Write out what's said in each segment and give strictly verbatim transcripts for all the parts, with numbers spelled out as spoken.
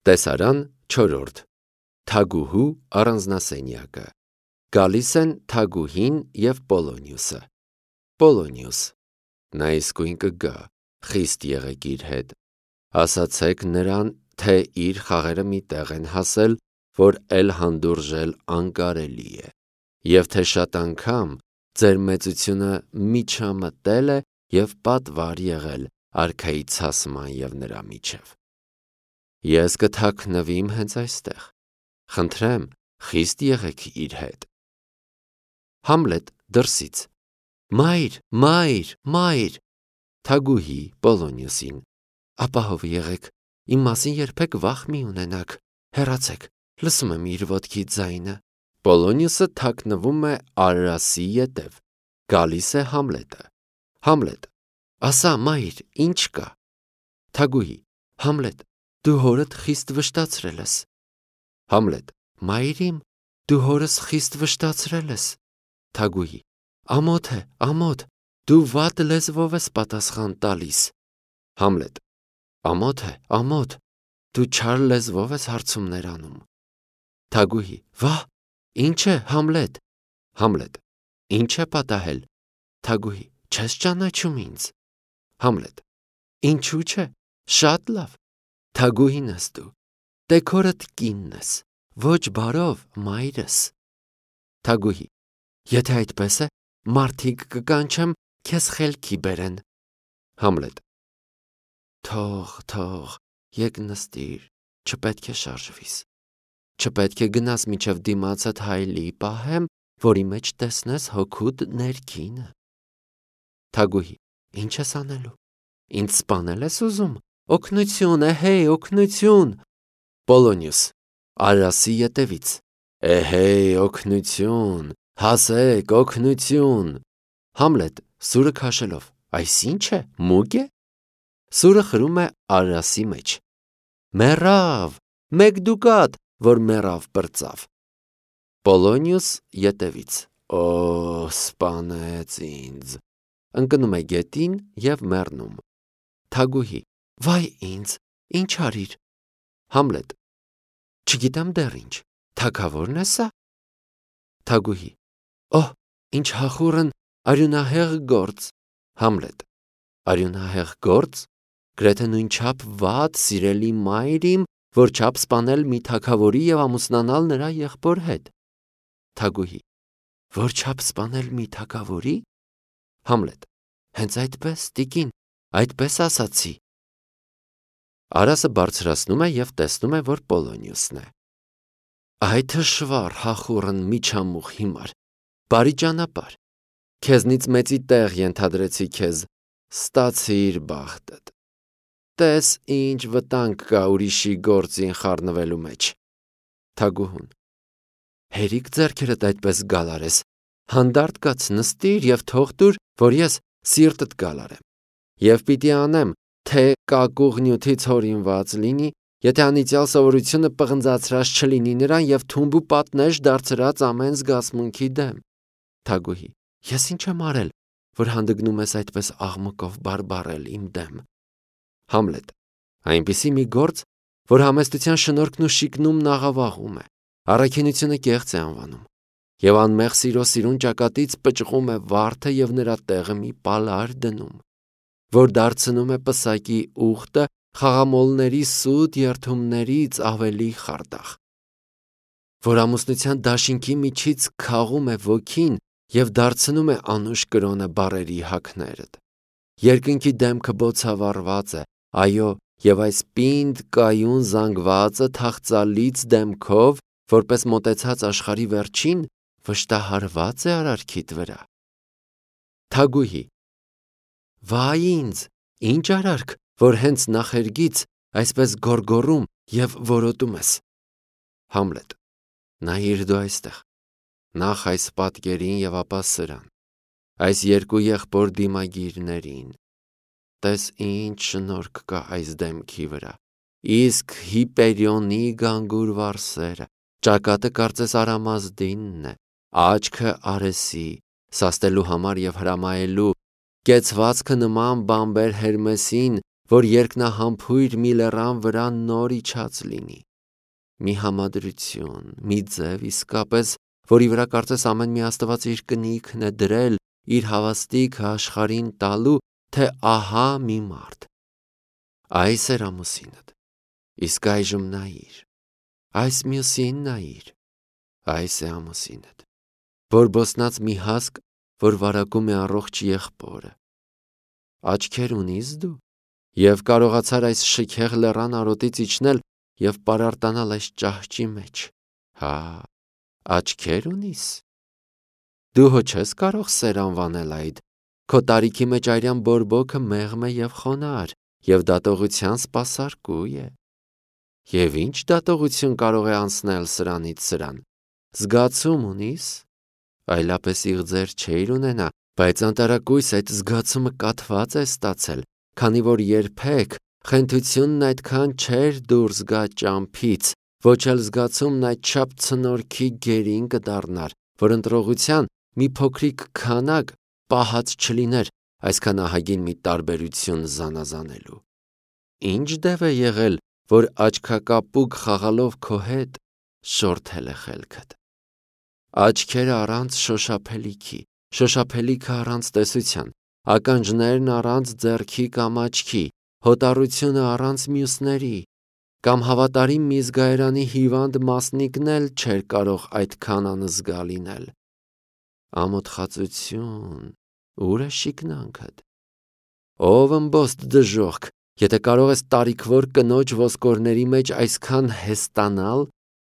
Տեսարան չորրորդ Թագուհու առանձնասենյակը Գալիս են Թագուհին և Պոլոնիուսը Պոլոնիուս Նա իսկույն կգա, խիստ եղեք իր հետ, ասացեք նրան, թե իր խաղերը մի տեղ են հասել, որ էլ հանդուրժել անկարելի է, և թե շատ անգամ ձեր մեծությունը միջամտել է և պատվար եղել արքայի ցասման և նրա միջև։ Ես կթաքնվիմ հենց այստեղ, խնդրեմ, խիստ եղեք իր հետ։ Համլետ դրսից Մայր, մայր, մայր, Թագուհի Պոլոնիուսին Ապահով եղեք, իմ մասին երբեք վախ մի ունենաք, հեռացեք, լսում եմ իր ոտքի ձայնը։ Պոլոնիուսը թաքնվում է Արարասի ետև, գալիս է Համլետը։ Համլետ Ասա, մայր, ինչ կա։ Թագուհի Համլետ, դու հորդ խիստ վշտացրել ես։ Համլետ Մայր իմ, դու հորս խիստ վշտացրել ես։ Թագուհի Ամոթ է, ամոթ, դու վատ լեզվով ես պատասխան տալիս։ Համլետ Ամոթ է, ամոթ, դու չար լեզվով ես հարցումներ անում։ Թագուհի Վա, ինչ է, Համլետ։ Համլետ Ինչ է պատահել։ Թագուհի Չես ճանաչում ինձ։ Համլետ Ինչու՞ չէ, շատ լավ։ Թագուհին ես դու, տեքորդ կինն ես, ոչ բարով մայրս։ Թագուհի Եթե այդպես է, մարդիկ կկանչեմ, քեզ խելքի բերեն։ Համլետ Թող, թող, եկ նստիր, չպետք է շարժվիս, չպետք է գնաս մինչև դիմացդ հայելի պահեմ, որի մեջ տեսնես հոգուդ ներքինը։ Թագուհի Ինչ ես անելու, ինձ սպանել ես ուզում, օգնություն, էհեյ, օգնություն։ Պոլոնիուս Արարասի ետևից Էհեյ, օգնություն, հասեք, օգնություն։ Համլետ սուրը քաշելով Այս ինչ է, մուկ է։ Սուրը խրում է Արարասի մեջ Մեռավ, մեկ դուկատ, որ մեռավ պրծավ։ Պոլոնիուս ետևից Օ, սպանեց ինձ։ Ընկնում է գետին և մեռնում։ Թագուհի Վայ ինձ, ինչ արիր։ Համլետ Չգիտեմ դեռ ինչ, թագավորն է սա։ Թագուհի Օհ, ինչ հախուռն արյունահեղ գործ։ Համլետ Արյունահեղ գործ, գրեթե նույնչափ վատ, սիրելի մայր իմ, որ չափ սպանել մի թագավորի և ամուսնանալ նրա եղբոր հետ։ Թագուհի Որ չափ սպանել մի թագավորի։ Համլետ Հենց այդպես, տիկին, այդպես ասացի։ Արասը բարձրացնում է և տեսնում է, որ Պոլոնիուսն է։ Այ թշվառ, հախուռն միջամուխ հիմար, բարի ճանապարհ, քեզնից մեծի տեղ ենթադրեցի քեզ, ստացիր բախտդ։ Տես ինչ վտանգ կա ուրիշի գործին խառնվելու մեջ։ Թագուհուն Հերիք ձեռքերդ այդպես գալարես, հանդարտ կաց նստիր և թող տուր, որ ես սիրտդ գալարեմ։ Եվ պիտի անեմ, թե կակուղ նյութից հորինված լինի, եթե անիծյալ սովորությունը պղնձացրած չլինի նրան և թումբ ու պատնեշ դարձրած ամեն զգացմունքի դեմ։ Թագուհի Ես ինչ եմ արել, որ հանդգնում ես այդպես աղմկով բարբառել իմ դեմ։ Համլետ Այնպիսի մի գործ, որ համեստության շնորհքն ու շիկնումն աղավաղում է, առաքինությունը կեղծ է անվանում, և անմեղ սիրո սիրուն ճակատից պճղում է վարդը և նրա տեղը մի պալար դնում, որ դարձնում է պսակի ուղտը խաղամոլների սուտ երդումներից ավելի խարդախ, որ ամուսնության դաշինքի միջից քաղում է ոգին և դարձնում է անուշ կրոնը բառերի հագներդ։ Երկնքի դեմքը բոցավառված է, այո, և այս պինդ կայուն զանգվածը թախծալից դեմքով, որպես մոտեցած աշխարհի վերջին, վշտահարված է արարքիդ վրա։ Թագուհի Վայ ինձ, ինչ արարք, որ հենց նախերգից այսպես գոռգոռում և որոտում ես։ Համլետ Նայիր դու այստեղ, նախ այս պատկերին և ապա սրան, այս երկու եղբոր դիմագիրներին, տես ինչ շնորհք կա այս դեմքի վրա, իսկ Հիպերիոնի գանգուր վարսերը, ճակատը կարծես Արամազդինն է, աչքը Արեսի, սաստելու համար և հրամայելու, կեցվածքը նման բամբեր Հերմեսին, որ երկնահամբույր մի լեռան վրա նոր իջած լինի։ Մի համադրություն, մի ձև իսկապես, որի վրա կարծես ամեն մի աստված իր կնիքն է դրել, իր հավաստիքը աշխարհին տալու, թե ահա մի մարդ։ Այս էր ամուսինդ, իսկ այժմ նայիր, այս մյուսին նայիր, այս է ամուսինդ, որ բոսնած մի հասկ, որ վարակում է առողջ եղբորը։ Աչքեր ունիս դու, և կարողացար այս շքեղ լեռան արոտից իջնել և պարարտանալ այս ճահճի մեջ, հա, աչքեր ունիս։ Դու հո չես կարող սեր անվանել այդ, քո տարիքի մեջ արյան բորբոքը մեղմ է և խոնարհ, և դատողության սպասարկու է։ Եվ ինչ դատողություն կարող է անցնել սրանից սրան, զգացում ունիս, այլապես իղձեր չէիր ունենա, բայց անտարակույս այդ զգացումը կաթված է ստացել, քանի որ երբեք խենթությունն այդքան չէր դուրս գա ճամփից, ոչ էլ զգացումն այդչափ ցնորքի գերին կդառնար, որ ընտրողության մի փոքրիկ քանակ պահած չլիներ այսքան ահագին մի տարբերություն զանազանելու։ Ինչ դև է եղել, որ աչքակապուկ խաղալով քո հետ շորթել է խելքդ։ Աչքերը առանց շոշափելիքի, շոշափելիքը առանց տեսության, ականջներն առանց ձեռքի կամ աչքի, հոտառությունը առանց մյուսների, կամ հավատարիմ մի զգայարանի հիվանդ մասնիկն էլ չէր կարող այդքան անզգա լինել։ Ամոթխածություն, ուր է շիկնանքդ։ Ով ըմբոստ դժոխք, եթե կարող ես տարիքվոր կնոջ ոսկորների մեջ այսքան հեստանալ,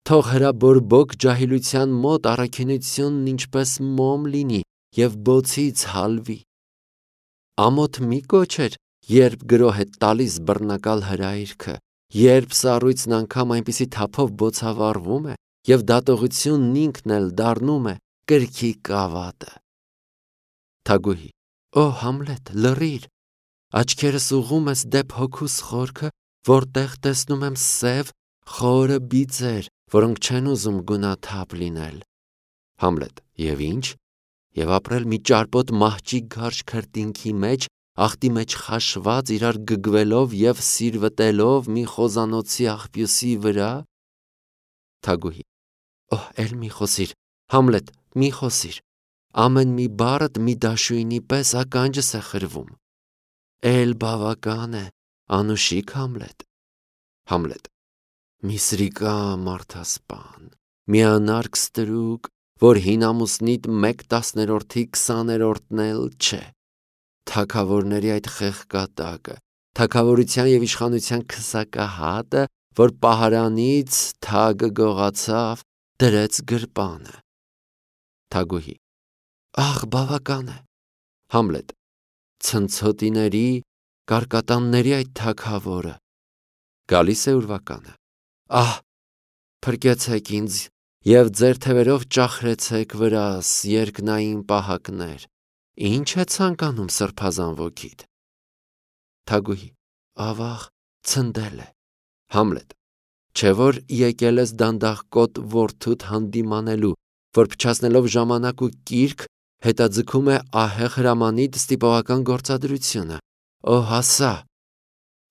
թող հրաբորբոք ջահիլության մոտ առաքինությունն ինչպես մոմ լինի և բոցից հալվի։ Ամոթ մի կոչեր, երբ գրոհ է տալիս բռնակալ հրայրքը, երբ սառույցն անգամ այնպիսի թափով բոցավառվում է, և դատողությունն ինքն էլ դառնում է կրքի կավատը։ Թագուհի. Օ Համլետ, լռիր, աչքերս ուղղում ես դեպ հոգուս խորքը, որտեղ տեսնում եմ սև, խորը բիծեր, որոնք չեն ուզում գունաթափ լինել։ Համլետ. Եվ ինչ, և ապրել մի ճարպոտ մահճի գարշ քրտինքի մեջ, աղտի մեջ խաշված, իրար գգվելով և սիրվտելով մի խոզանոցի աղբյուսի վրա։ Թագուհի. Օ, էլ մի խոսիր, Համլետ, մի խոսիր, ամեն մի բառդ մի դաշույնի պես ականջս է խրվում։ Էլ բավական է, անուշիկ Համլետ։ Համլետ. մի սրիկա մարդասպան, մի անարգ ստրուկ, որ հին ամուսնիդ մեկ տասներորդի քսաներորդն էլ չէ, թագավորների այդ խեղկատակը, թագավորության և իշխանության քսակահատը, որ պահարանից թագը գողացավ, դրեց գրպանը։ Թագուհի. Ահ, բավական է։ Համլետ. ցնցոտիների, կարկատանների այդ թագավորը։ Գալիս է ուրվականը. Ահ, փրկեցեք ինձ և ձեր թևերով ճախրեցեք վրաս, երկնային պահակներ, ինչ է ցանկանում սրբազան ոգիդ։ Թագուհի. ավաղ, ցնդել է։ Համլետ. չէ՞ որ եկել ես դանդաղկոտ որդուդ հանդիմանելու, որ փչացնելով ժամանակ ու կիրք, հետաձգում է ահեղ հրամանիդ ստիպողական գործադրությունը։ Օ հասա։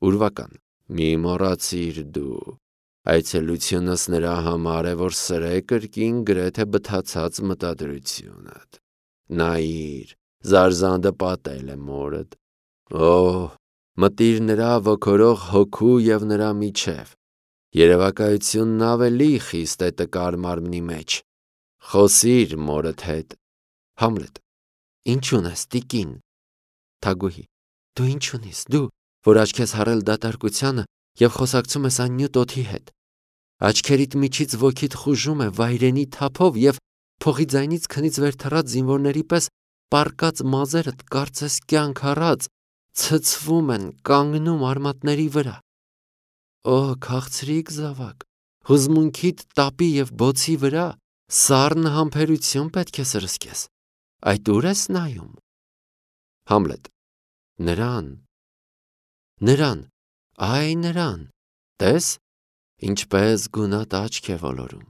Ուրվական. մի մոռացիր դու, այցելությունս նրա համար է, որ սրե կրկին գրեթե բթացած մտադրությունդ։ Նայիր, զարզանդը պատել է մորդ։ Օ, մտիր նրա ոգորող հոգու և նրա միջև։ Երևակայությունն ավելի խիստ է տկար մարմնի մեջ։ Խոսիր մորդ հետ։ Համլետ. ինչ ունես, տիկին։ Թագուհի. դու ինչ ունիս, դու, որ աչք ես հառել դատարկությանը և խոսակցում ես այն նյութ օդի հետ։ Աչքերիդ միջից ոգիդ խուժում է վայրենի թափով և փողի ձայնից քնից վեր թռած զինվորների պես պառկած մազերդ կարծես կյանք առած ցցվում են, կանգնում արմատների վրա։ Օ, քաղցրիկ զավակ, հուզմունքիդ տապի և բոցի վրա սառն համբերություն պետք է սրսկես։ Այդ ուր ես նայում։ Համլետ. նրան, նրան, այ նրան, տես, ինչպես գունատ աչք է ոլորում։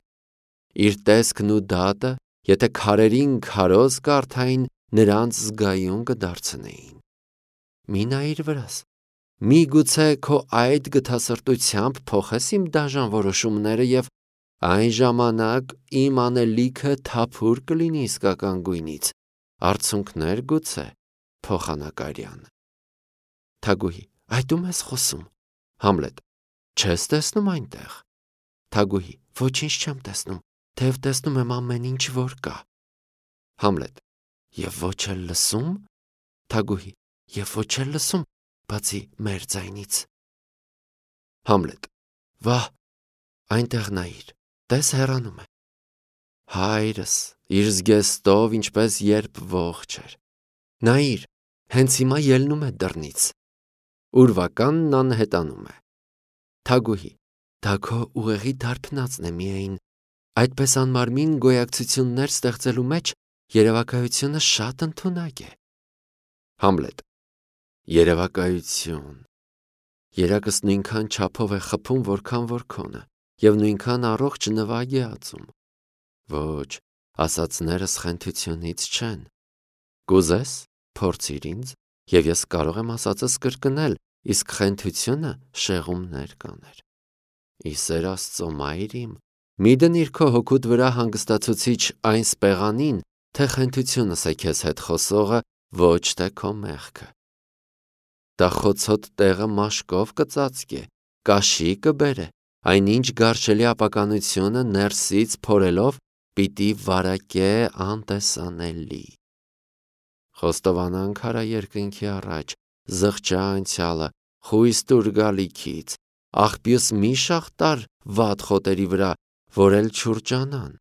Իր տեսքն ու դատը, եթե քարերին քարոզ կարդային, նրանց զգայուն կդարձնեին։ Մի նայիր վրաս, միգուցե քո այդ գթասրտությամբ փոխես իմ դաժան որոշումները և այն ժամանակ իմ անելիքը թափուր կլինի իսկական գույնից, արցունքներ գուցե փոխանակարյան։ Թագուհի. Այդ ում ես խոսում։ Համլետ. Չես տեսնում այնտեղ։ Թագուհի. Ոչինչ չեմ տեսնում, թեև տեսնում եմ ամեն ինչ, որ կա։ Համլետ. Եվ ոչ էլ լսում։ Թագուհի. Եվ ոչ էլ լսում, բացի մեր ձայնից։ Համլետ. Վահ, այնտեղ նայիր, տես հեռանում է։ Հայրս իր զգեստով ինչպես երբ ողջ էր։ Նայիր, հենց հիմա ելնում է դռնից։ Ուրվականն անհետանում է։ Թագուհի. Դա քո ուղեղի դարբնածն է միայն, այդպես անմարմին գոյակցություններ ստեղծելու մեջ երևակայությունը շատ ընդունակ է։ Համլետ. Երևակայություն։ Երակս նույնքան չափով է խփում, որքան որ քոնը, և նույնքան առողջ նվագ է ածում։ Ոչ, ասածներս խենթությունից չեն։ Կուզես, փորձիր ինձ, և ես կարող եմ ասածս կրկնել, իսկ խենթությունը շեղումներ կաներ։ Ի սեր Աստծո, մայր իմ, մի դնիր քո հոգուդ վրա հանգստացուցիչ այն սպեղանին, թե խենթությունս է քեզ հետ խոսողը, ոչ թե քո մեղքը։ Դա խոցոտ տեղը մաշկով կծածկե, կաշի կբերե, այնինչ գարշելի ապականությունը ներսից փորելով պիտի վարակե անտեսանելի։ Խոստովանանք արա երկնքի առաջ, զղջա անցյալը, խույս տուր գալիքից, աղբյուս մի շաղտար վատ խոտերի վրա, որ էլ չուրջանան։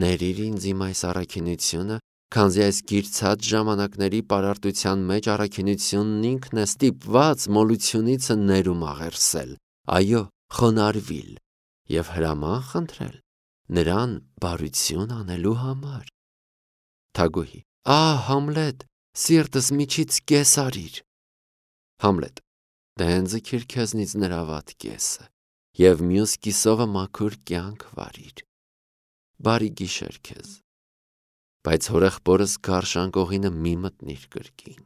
Ներիր ինձ իմ այս առաքինությունը, քանզի այս գիրցած ժամանակների պարարտության մեջ առաքինությունն ինքն է ստիպված մոլությունիցը ներում աղերսել, այո, խոնարհվիլ և հրաման խնդրել նրան բարություն անելու համար։ Թագուհի. Ահ, Համլետ, սիրտս միջից կես արիր։ Համլետ. Դե ձգիր քեզնից նրա վատ կեսը և մյուս կիսովը մաքուր կյանք վարիր։ Բարի գիշեր քեզ, բայց հորեղբորս գարշ անկողինը մի մտնիր կրկին։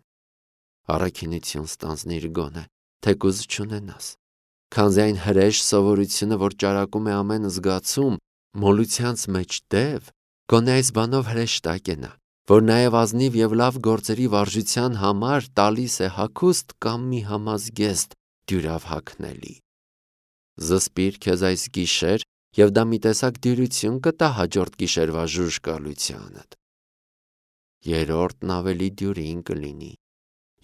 Առաքինություն ստանձնիր գոնե, թեկուզ չունենաս, քանզի այն հրեշ սովորությունը, որ ճարակում է ամեն զգացում, մոլությանց մեջ դև, գոնե այս բանով հրեշտակ է նա, որ նաև ազնիվ և լավ գործերի վարժության համար տալիս է հագուստ կամ մի համազգեստ դյուրավ հագնելի։ Զսպիր քեզ այս գիշեր, և դա մի տեսակ դյուրություն կտա հաջորդ գիշերվա ժուժկալությանդ։ Երրորդն ավելի դյուրին կլինի,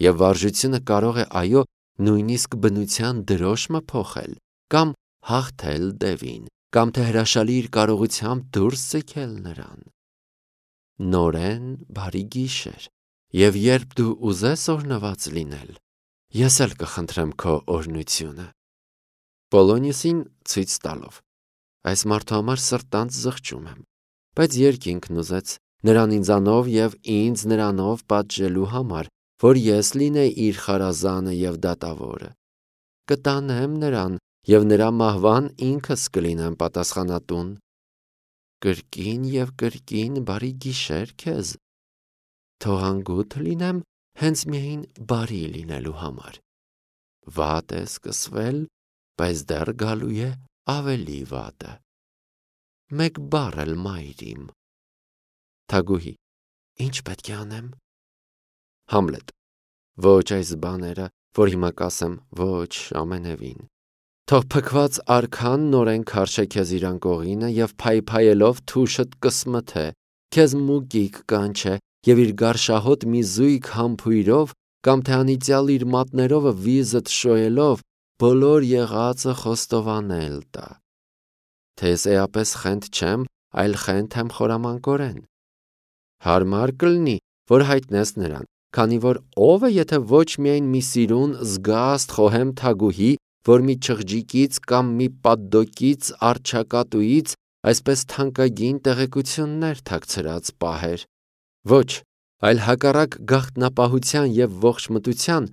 և վարժությունը կարող է, այո, նույնիսկ բնության դրոշմը փոխել, կամ հաղթել դևին, կամ թե հրաշալի իր կարողությամբ դուրս ձգել նրան։ Նորեն բարի գիշեր, և երբ դու ուզես օրհնված լինել, ես էլ կխնդրեմ քո օրհնությունը։ Պոլոնիուսին ցույց տալով. Այս մարդու համար սրտանց զղջում եմ, բայց երկինքն ուզեց նրան ինձանով և ինձ նրանով պատժելու համար, որ ես լինեի իր խարազանը և դատավորը։ Կտանեմ նրան և նրա մահվան ինքս կլինեմ պատասխանատուն։ Կրկին և կրկին բարի գիշեր քեզ։ Թող անգութ լինեմ հենց միայն բարի լինելու համար։ Վատ է սկսվել, բայց դեռ գալու է ավելի վատը։ Մեկ բառ էլ մայր իմ։ Թագուհի. Ինչ պետք է անեմ։ Համլետ. Ոչ այս բաները, որ հիմա կասեմ, ոչ ամենևին։ Թող փքված արքան նորեն քարշե քեզ իր անկողինը և փայփայելով թուշդ կսմթե, քեզ մուկիկ կանչե և իր գարշահոտ մի զույգ համբույրով կամ թե անիծյալ իր մատներովը վիզդ շոյելով բոլոր եղածը խոստովանել տա։ Թե ես էապես խենթ չեմ, այլ խենթ եմ խորամանկորեն։ Հարմար կլինի, որ հայտնես նրան, քանի որ ով է, եթե ոչ միայն մի սիրուն զգաստ խոհեմ թագուհի, որ մի չղջիկից կամ մի պատդոկից առջակատուից այսպես թանկագին տեղեկություններ թաքցրած պահեր։ Ոչ, այլ հակառակ գաղտնապահության և ողջմտության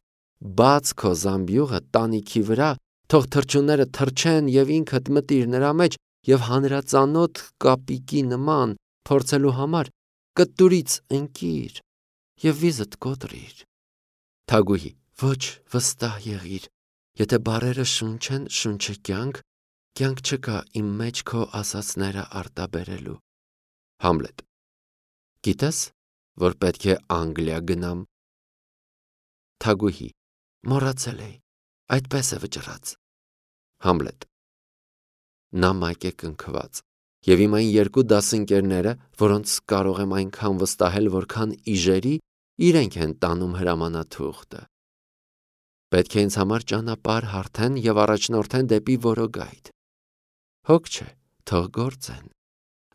բաց քո զամբյուղը տանիքի վրա, թող թռչունները թռչեն և ինքդ մտիր նրա մեջ և հանրածանոթ կապիկի նման փորձելու համար կտուրից ընկիր և վիզդ կոտրիր։ Թագուհի. Ոչ վստահ եղիր, եթե բառերը շունչ են, շունչը կյանք, կյանք չկա իմ մեջ քո ասածները արտաբերելու։ Համլետ. Գիտես, որ պետք է Անգլիա գնամ։ Թագուհի. Մոռացել էի, այդպես է վճռած։ Համլետ. Նա մայք է կնքված, և իմ այն երկու դասընկերները, որոնց կարող եմ այնքան վստահել, որքան իժերի, իրենք են տանում հրամանաթուղթը։ Պետք է ինձ համար ճանապարհ հարթեն և առաջնորդեն դեպի որոգայթ։ Հոգ չէ, թող գործեն։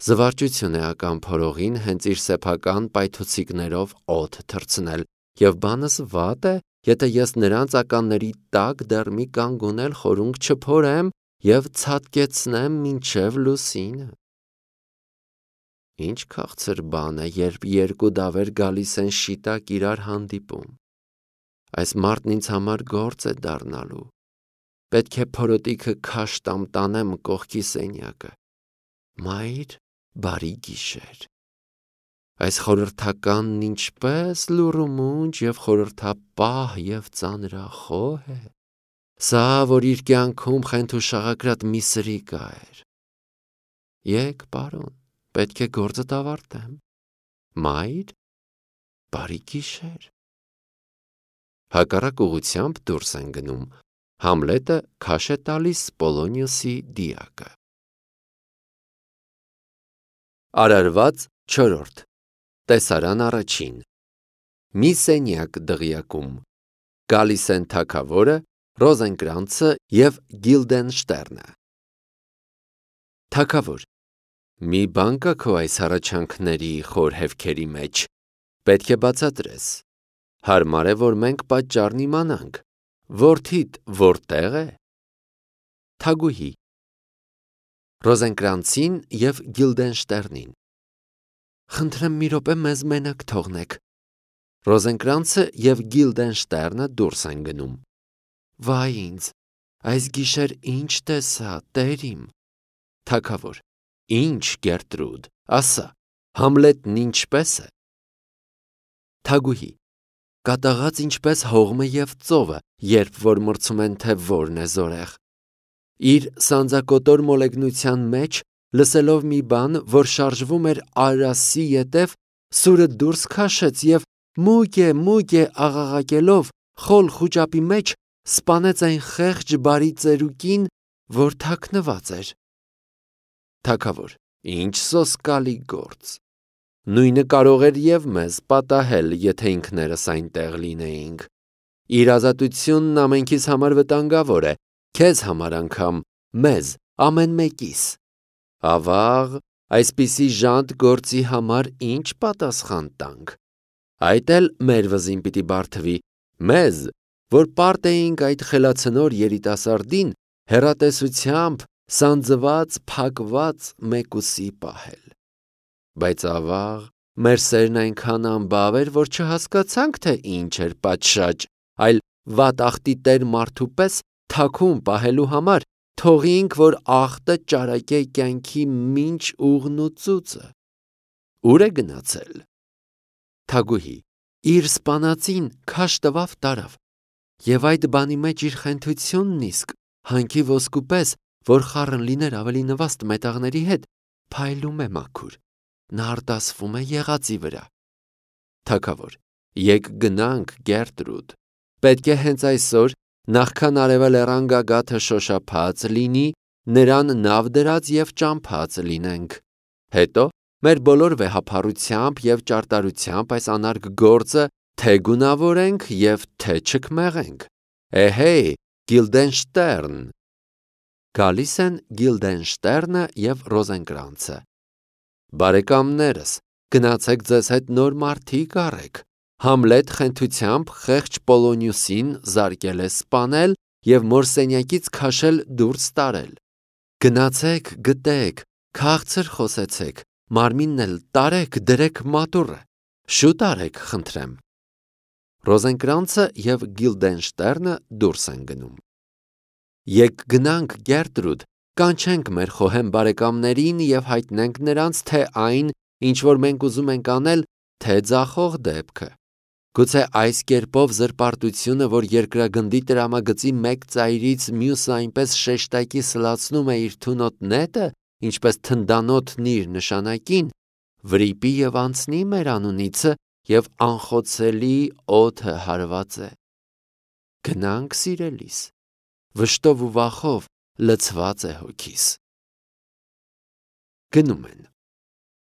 Զվարճություն է ական փորողին հենց իր սեփական պայթուցիկներով օդ թռցնել, և բանս վատ է, եթե ես նրանց ականների տակ դեռ մի կանգունել խորունկ չփորեմ և ցատկեցնեմ մինչև լուսինը։ Ինչ քաղցր բան է, երբ երկու դավեր գալիս են շիտակ իրար հանդիպում։ Այս մարդն ինձ համար գործ է դառնալու։ Պետք է փորոտիքը քաշ տամ տանեմ կողքի սենյակը։ Մայր, բարի գիշեր։ Այս խորհրդականն ինչպես լուռումունջ և խորհրդապահ և ծանրախոհ է։ Սա, որ իր կյանքում խենթուշաղակրատ մի սրիկա էր։ Եկ, պարոն, պետք է գործդ ավարտեմ։ Մայր, բարի գիշեր։ Հակառակ ուղղությամբ դուրս են գնում։ Համլետը քաշ է տալիս Պոլոնիոսի դիակը։ Արարված չորրորդ Տեսարան առաջին Մի սենյակ դղյակում գալիս են թագավորը, Ռոզենկրանցը և Գիլդենշտերնը։ Թագավոր. Մի բան կա քո այս հառաչանքների խոր հևքերի մեջ, պետք է բացատրես։ Հարմար է, որ մենք պատճառն իմանանք։ Որդիդ որտե՞ղ է։ Թագուհի. Ռոզենկրանցին և Գիլդենշտերնին։ Խնդրեմ մի րոպե մեզ մենակ թողնեք։ Ռոզենկրանցը և Գիլդենշտերնը դուրս են գնում։ Վայ ինձ, այս գիշեր ինչ տեսա, տեր իմ։ Թագավոր. Ինչ, Գերտրուդ, ասա, Համլետն ինչպե՞ս է։ Թագուհի. Կատաղած ինչպես հողմը և ծովը, երբ որ մրցում են, թե որն է զորեղ։ Իր սանձակոտոր մոլեգնության մեջ, լսելով մի բան, որ շարժվում էր Արասի ետև, սուրը դուրս քաշեց և մուգ է, մուգ է աղաղակելով խոլ խուճապի մեջ սպանեց այն խեղճ բարի ծերուկին, որ թաքնված էր։ Թագավոր. Ինչ սոսկալի գործ։ Նույնը կարող էր և մեզ պատահել, եթե ինքներս այնտեղ լինեինք։ Իր ազատությունն ամենքիս համար վտանգավոր է, քեզ համար անգամ, մեզ, ամեն մեկիս։ Ավաղ, այսպիսի ժանտ գործի համար ինչ պատասխան տանք։ Այդ էլ մեր վզին պիտի բարդվի, մեզ, որ պարտ էինք այդ խելացնոր երիտասարդին հեռատեսությամբ սանձված, փակված մեկուսի պահել։ Բայց ավաղ, մեր սերն այնքան անբավ էր, որ չհասկացանք, թե ինչ էր պատշաճ, այլ վատախտի տեր մարդու պես թաքուն պահելու համար թողինք, որ ախտը ճարակե կյանքի մինչ ուղն ու ծուծը։ Ուր է գնացել։ Թագուհի. Իր սպանածին քաշ տվավ տարավ, և այդ բանի մեջ իր խենթությունն իսկ, հանքի ոսկու պես, որ խառն լիներ ավելի նվաստ մետաղների հետ, փայլում է մաքուր, նա արտասվում է եղածի վրա։ Թագավոր. Եկ գնանք, Գերտրուդ, պետք է հենց այսօր, նախքան արևելեռան գագաթը շոշափած լինի, նրան նավ դրած և ճամփած լինենք։ Հետո մեր բոլոր վեհափառությամբ և ճարտարությամբ այս անարգ գործը թե գունավորենք և թե չքմեղենք։ Էհեյ, Գիլդենշտերն։ Գալիս են Գիլդենշտերնը և Ռոզենկրանցը։ Բարեկամներս, գնացեք ձեզ հետ նոր մարդիկ առեք։ Համլետ խենթությամբ խեղճ Պոլոնիոսին զարկել է սպանել և մորսենյակից քաշել դուրս տարել։ Գնացեք, գտեք, քաղցր խոսեցեք, մարմինն էլ տարեք, դրեք մատուռը, շուտ արեք, խնդրեմ։ Ռոզենկրանցը և Գիլդենշտերնը դուրս են գնում։ Եկ գնանք, Գերտրուդ, կանչենք մեր խոհեմ բարեկամներին և հայտնենք նրանց, թե այն, ինչ որ մենք ուզում ենք անել, թե ձախող դեպքը։ Գուցե այս կերպով զրպարտությունը, որ երկրագնդի տրամագծի մեկ ծայրից մյուսը այնպես շեշտակի սլացնում է իր թունոտ նետը, ինչպես թնդանոթն իր նշանակին, վրիպի և անցնի մեր անունիցը և անխոցելի օդը հարված է։ Գնանք, սիրելիս, վշտով ու վախով լցված է հոգիս։ Գնում են։